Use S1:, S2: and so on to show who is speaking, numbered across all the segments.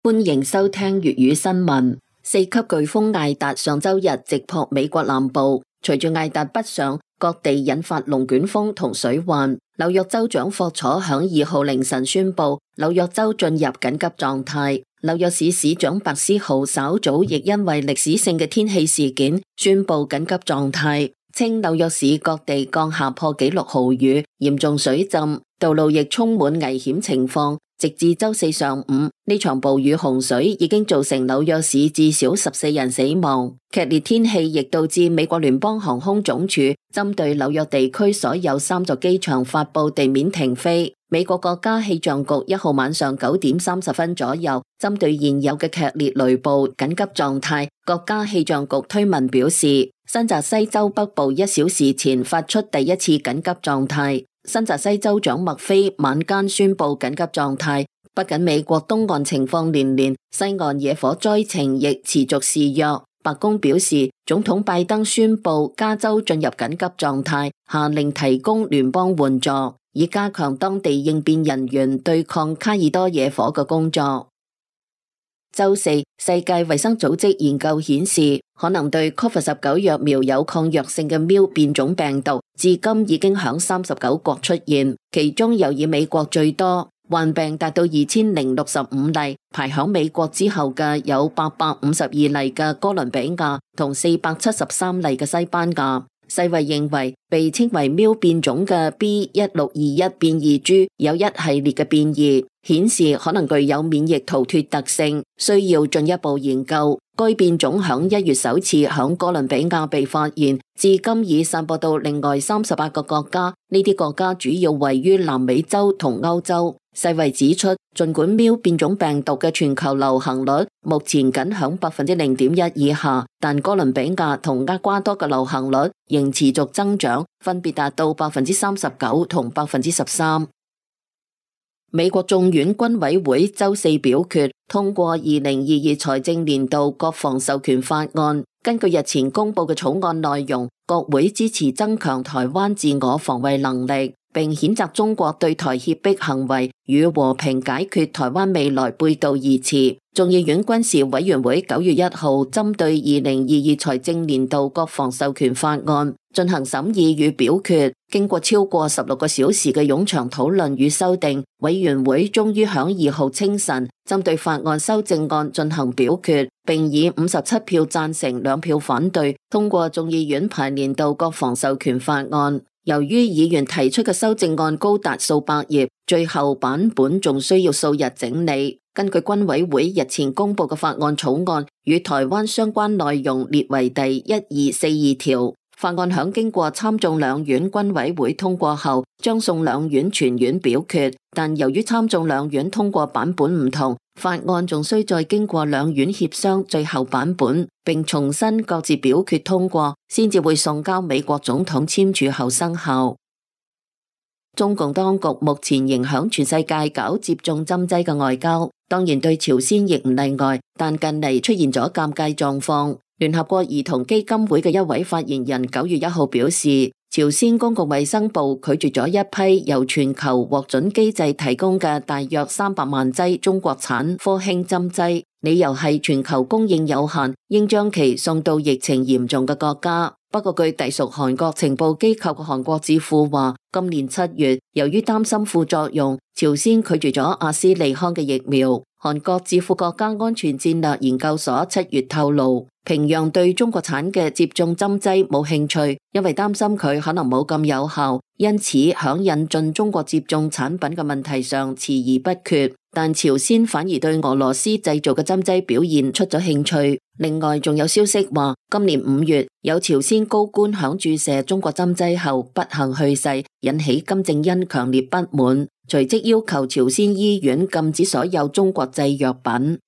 S1: 歡迎收聽粵語新聞。4級颶風艾達上周日直撲美國南部，隨住艾達北上，各地引發龍捲風同水患。紐約州長霍楚響2號凌晨宣布，紐約州進入緊急狀態。紐約市市長白思豪稍早亦因為歷史性嘅天氣事件宣布緊急狀態，稱紐約市各地降下破紀錄豪雨，嚴重水浸，道路亦充滿危險情況。直至周四上午，呢場暴雨洪水已經造成紐約市至少14人死亡。劇烈天氣亦導致美國聯邦航空總署針對紐約地區所有3座機場發佈地面停飛。美國國家氣象局1號晚上9點30分左右，針對現有嘅劇烈雷暴緊急狀態，國家氣象局推文表示，新澤西州北部1小時前發出第一次緊急狀態。新澤西州長麥菲晚間宣布緊急狀態。不僅美國東岸情況連連，西岸野火災情亦持續肆虐。白宮表示，總統拜登宣布加州進入緊急狀態，下令提供聯邦援助，以加強當地應變人員對抗卡爾多野火嘅工作。周四，世界衛生組織研究顯示，可能對 COVID-19 疫苗有抗藥性嘅 Mu 變種病毒，至今已經響39國出現，其中又以美國最多，患病達到2065例，排響美國之後嘅有852例嘅哥倫比亞同473例嘅西班牙。世衛認為，被稱為 Mu 變種嘅 B1621 變異株有一系列嘅變異，顯示可能具有免疫逃脫特性，需要進一步研究。該變種響1月首次響哥倫比亞被發現，至今已散播到另外38個國家，呢啲國家主要位於南美洲同歐洲。世衛指出，儘管 Mu 變種病毒嘅全球流行率目前僅響0.1%以下，但哥倫比亞同厄瓜多嘅流行率仍持續增長，分別達到39%同13%。美國眾院軍委會周四表決通過2022財政年度國防授權法案。根據日前公布嘅草案內容，國會支持增強台灣自我防衛能力，並譴責中國對台脅迫行為與和平解決台灣未來背道而馳。眾議院軍事委員會9月1號針對2022財政年度國防授權法案進行審議與表決，經過超過16個小時嘅冗長討論與修訂，委員會終於響2號清晨針對法案修正案進行表決，並以57票贊成2票反對通過眾議院排年度國防授權法案。由於議員提出嘅修正案高達數百頁，最後版本仲需要數日整理。根據軍委會日前公布嘅法案草案，與台灣相關內容列為第1242條。法案響經過參眾兩院軍委會通過後，將送兩院全院表決。但由於參眾兩院通過版本唔同，法案仲需再經過兩院協商最後版本，並重新各自表決通過，先至會送交美國總統簽署後生效。中共當局目前仍響全世界搞接種針劑嘅外交，當然對朝鮮亦唔例外，但近嚟出現咗尷尬狀況。聯合國兒童基金會嘅一位發言人9月1號表示，朝鮮公共衛生部拒絕咗一批由全球獲准機制提供嘅大約300萬劑中國產科興針劑，理由係全球供應有限，應將其送到疫情嚴重嘅國家。不過據隸屬韓國情報機構嘅韓國智庫話，今年7月，由於擔心副作用，朝鮮拒絕咗阿斯利康嘅疫苗。韓國智庫國家安全戰略研究所7月透露，平壤對中國產嘅接種針劑冇興趣，因為擔心佢可能冇咁有效，因此響引進中國接種產品嘅問題上遲疑不決。但朝鮮反而對俄羅斯製造嘅針劑表現出咗興趣。另外仲有消息話，今年5月有朝鮮高官響注射中國針劑後不幸去世，引起金正恩強烈不滿，隨即要求朝鮮醫院禁止所有中國製藥品。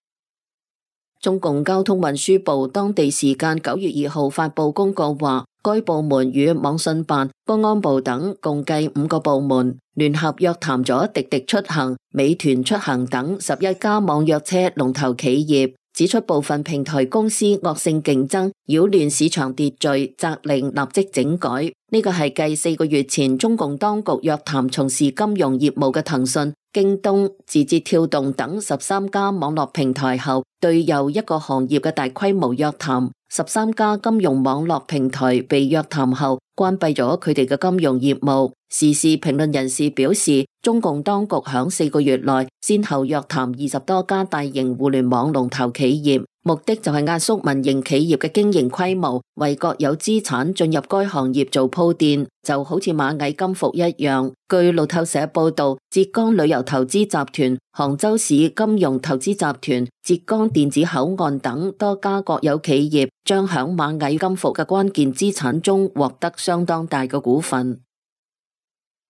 S1: 中共交通運輸部當地時間9月2號發布公告話，該部門與網信辦、公安部等共計5個部門聯合約談咗滴滴出行、美團出行等11家網約車龍頭企業，指出部分平台公司惡性競爭，擾亂市場秩序，責令立即整改。呢個係繼4個月前中共當局約談從事金融業務嘅騰訊、京東、字節跳動等13家網絡平台後，對又一個行業嘅大規模約談。13家金融網絡平台被約談後，關閉咗佢哋嘅金融業務。時事評論人士表示，中共當局響4個月內先後約談20多家大型互聯網龍頭企業，目的就係壓縮民營企業嘅經營規模，為國有資產進入該行業做鋪墊，就好似螞蟻金服一樣。據路透社報道，浙江旅遊投資集團、杭州市金融投資集團、浙江電子口岸等多家國有企業將響螞蟻金服嘅關鍵資產中獲得相當大嘅股份。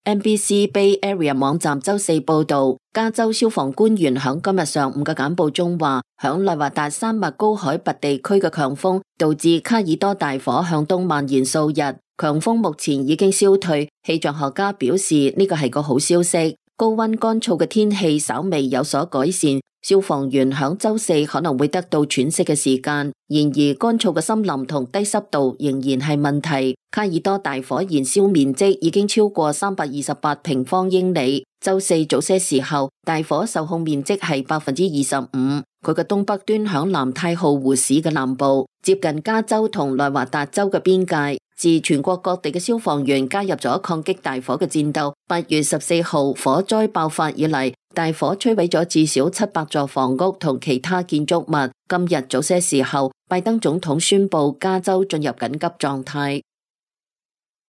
S1: NBC Bay Area 網站周四報道，加州消防官員響今日上午嘅簡報中話，響內華達山脈高海拔地區嘅強風導致卡爾多大火向東蔓延數日，強風目前已經消退。氣象學家表示呢個係個好消息，高溫乾燥嘅天氣稍微有所改善，消防員響周四可能會得到喘息嘅時間。然而乾燥嘅森林同低濕度仍然係問題。卡爾多大火燃燒面積已經超過328平方英里。周四早些時候，大火受控面積係25%，佢嘅東北端響南太浩湖市嘅南部，接近加州同內華達州嘅邊界。自全國各地嘅消防員加入咗抗擊大火嘅戰鬥，8月14號火災爆發以嚟，大火摧毀咗至少700座房屋同其他建築物。今日早些時候，拜登總統宣布加州進入緊急狀態。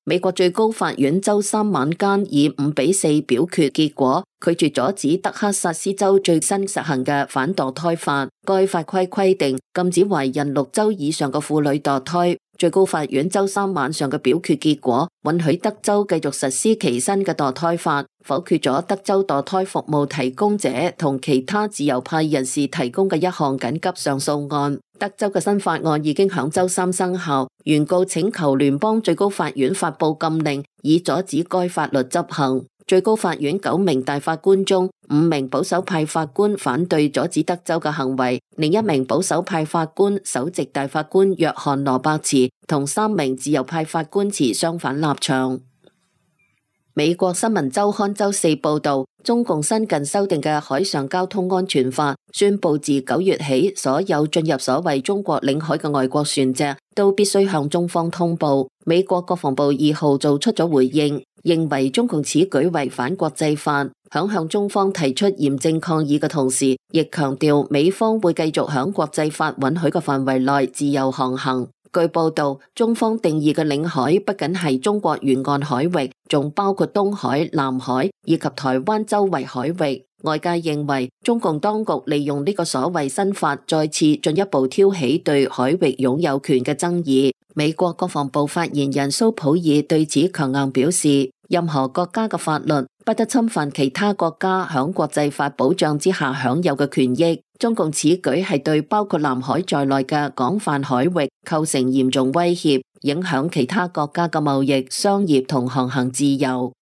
S1: 美國最高法院周三晚間以5-4表決結果，拒絕阻止德克薩斯州最新實行嘅反墮胎法。該法規定禁止懷孕6週以上嘅婦女墮胎。最高法院周三晚上嘅表決結果，允許德州繼續實施其新嘅墮胎法，否決咗德州墮胎服務提供者同其他自由派人士提供嘅一項緊急上訴案。德州嘅新法案已經響周三生效，原告請求聯邦最高法院發布禁令，以阻止該法律執行。最高法院9名大法官中，5名保守派法官反對阻止德州嘅行為，另一名保守派法官首席大法官約翰羅伯茨同3名自由派法官持相反立場。美國新聞週刊周四報道，中共新近修訂嘅海上交通安全法宣布，自9月起，所有進入所謂中國領海嘅外國船隻都必須向中方通報。美國國防部2號做出咗回應，認為中共此舉違反國際法，響向中方提出嚴正抗議嘅同時，亦強調美方會繼續響國際法允許嘅範圍內自由航行。據報道，中方定義嘅領海不僅係中國沿岸海域，仲包括東海、南海以及台灣周圍海域。外界認為，中共當局利用呢個所謂新法，再次進一步挑起對海域擁有權嘅爭議。美國國防部發言人蘇普爾對此強硬表示，任何國家嘅法律不得侵犯其他國家響國際法保障之下享有嘅權益。中共此舉係對包括南海在內嘅廣泛海域構成嚴重威脅，影響其他國家嘅貿易、商業同航行自由。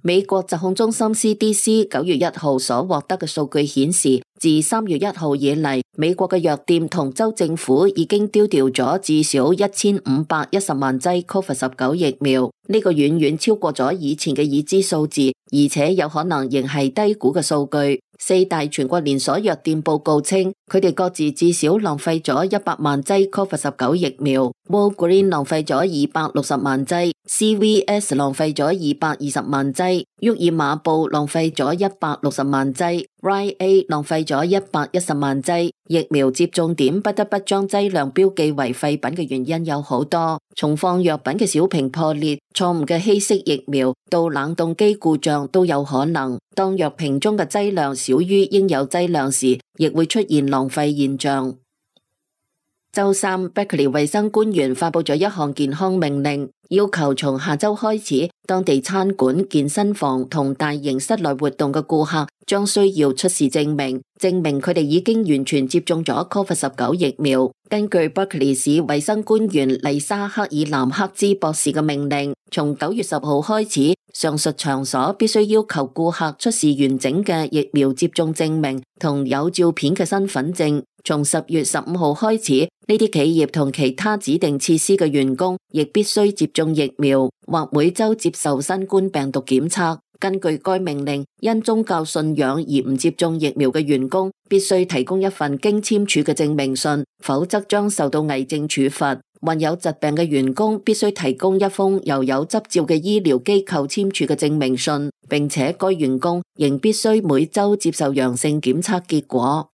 S1: 美國疾控中心 CDC 9月1號所獲得嘅數據顯示，自3月1號以嚟，美國嘅藥店同州政府已經丟掉咗至少1510萬劑 COVID-19 疫苗，呢個遠遠超過咗以前嘅已知數字，而且有可能仍係低估嘅數據。4大全國連鎖藥店報告稱，佢哋各自至少浪費咗100萬劑 COVID-19 疫苗。Walgreens 浪費咗260萬劑 ，CVS 浪費咗220萬劑，沃爾瑪布浪費咗160萬劑 ，Rite Aid 浪費咗110萬劑。疫苗接種點不得不將劑量標記為廢品嘅原因有好多，從放藥品嘅小瓶破裂、錯誤嘅稀釋疫苗到冷凍機故障都有可能。當藥瓶中嘅劑量少於應有劑量時，亦會出現浪費現象。周三，伯克利衛生官員發布咗一項健康命令，要求從下周開始，當地餐館、健身房同大型室內活動嘅顧客將需要出示證明佢哋已經完全接種咗 COVID-19 疫苗。根據伯克利市衛生官員麗莎克爾南克茲博士嘅命令，從9月10號開始，上述場所必須要求顧客出示完整嘅疫苗接種證明同有照片嘅身份證。從10月15號開始，呢啲企業同其他指定設施嘅員工亦必須接種種疫苗，或每週接受新冠病毒檢測。根據該命令，因宗教信仰而唔接種疫苗嘅員工，必須提供一份經簽署嘅證明信，否則將受到偽證處罰。患有疾病嘅員工必須提供一封由有執照嘅醫療機構簽署嘅證明信，並且該員工仍必須每週接受陽性檢測結果。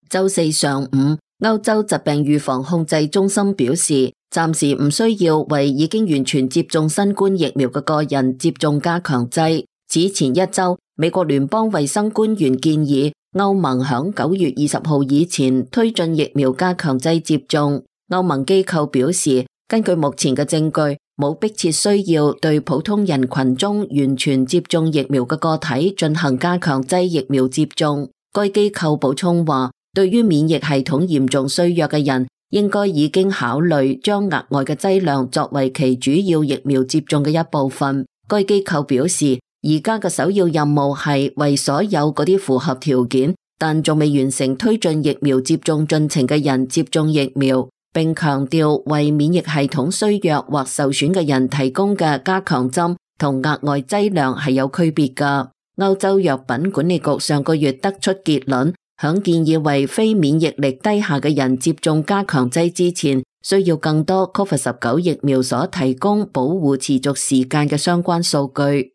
S1: 週四上午，歐洲疾病預防控制中心表示，暫時唔需要為已經完全接種新冠疫苗嘅個人接種加強劑。此前一週，美國聯邦衛生官員建議歐盟響9月20號以前推進疫苗加強劑接種。歐盟機構表示，根據目前嘅證據，冇迫切需要對普通人群中完全接種疫苗嘅個體進行加強劑疫苗接種。該機構補充話，對於免疫系統嚴重衰弱嘅人，應該已經考慮將額外嘅劑量作為其主要疫苗接種嘅一部分。該機構表示，而家嘅首要任務係為所有嗰啲符合條件但仲未完成推進疫苗接種進程嘅人接種疫苗，並強調為免疫系統衰弱或受損嘅人提供嘅加強針同額外劑量係有區別㗎。歐洲藥品管理局上個月得出結論，響建議為非免疫力低下嘅人接種加強劑之前，需要更多 COVID-19 疫苗所提供保護持續時間嘅相關數據。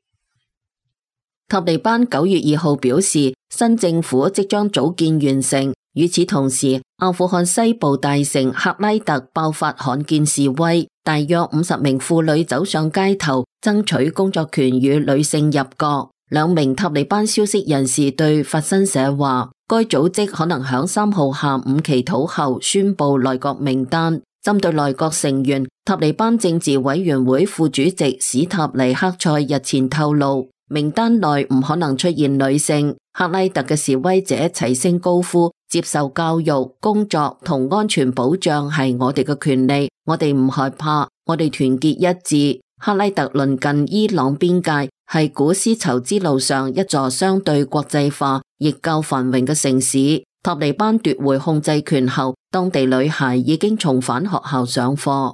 S1: 塔利班9月2號表示，新政府即將組建完成。與此同時，阿富汗西部大城赫拉特爆發罕見示威，大約50名婦女走上街頭，爭取工作權與女性入閣。2名塔利班消息人士對法新社話，該組織可能響3號下午祈禱後宣布內閣名單。針對內閣成員，塔利班政治委員會副主席史塔尼克塞日前透露，名單內唔可能出現女性。赫拉特嘅示威者齊聲高呼，接受教育、工作同安全保障係我哋嘅權利，我哋唔害怕，我哋團結一致。赫拉特鄰近伊朗邊界，係古絲綢之路上一座相對國際化亦較繁榮嘅城市。塔利班奪回控制權後，當地女孩已經重返學校上課。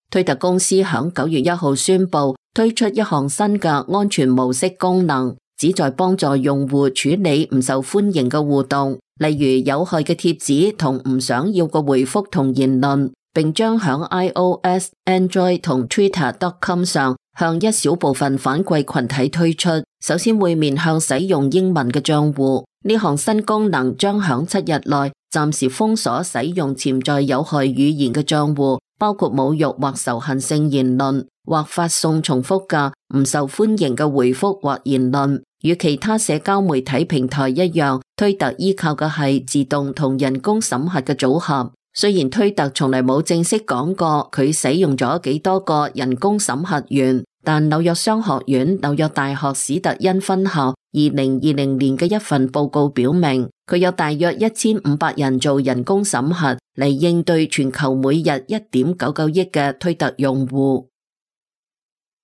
S1: 推特公司響9月1號宣布推出一項新嘅安全模式功能，旨在幫助用戶處理唔受歡迎嘅互動，例如有害嘅貼紙同唔想要嘅回覆同言論，並將響 iOS、Android 同 Twitter.com 上向一小部分反饋群體推出。首先會面向使用英文嘅賬戶，呢項新功能將響7日內暫時封鎖使用潛在有害語言嘅賬戶，包括侮辱或仇恨性言論，或發送重複嘅唔受歡迎嘅回覆或言論。與其他社交媒體平台一樣，推特依靠嘅係自動同人工審核嘅組合。雖然推特從嚟冇正式講過佢使用咗幾多個人工審核員，但紐約商學院、紐約大學史特恩分校2020年嘅一份報告表明，佢有大約1500人做人工審核嚟應對全球每日1.99億嘅推特用戶。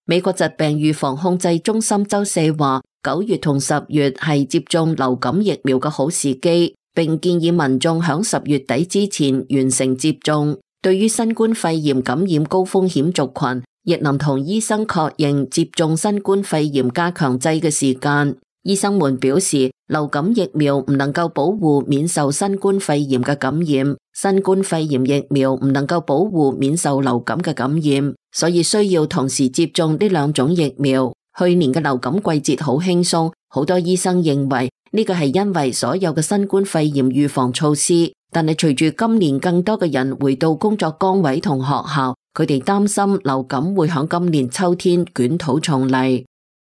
S1: 美國疾病預防控制中心週四話，9月同10月係接種流感疫苗嘅好時機，並建議民眾響10月底之前完成接種。對於新冠肺炎感染高風險族群，亦能同醫生確認接種新冠肺炎加強劑嘅時間。醫生們表示，流感疫苗唔能夠保護免受新冠肺炎嘅感染，新冠肺炎疫苗唔能夠保護免受流感嘅感染，所以需要同時接種呢2種疫苗。去年嘅流感季節好輕鬆，好多醫生認為呢個係因為所有嘅新冠肺炎預防措施，但係隨住今年更多嘅人回到工作崗位同學校，佢哋擔心流感會響今年秋天捲土重嚟。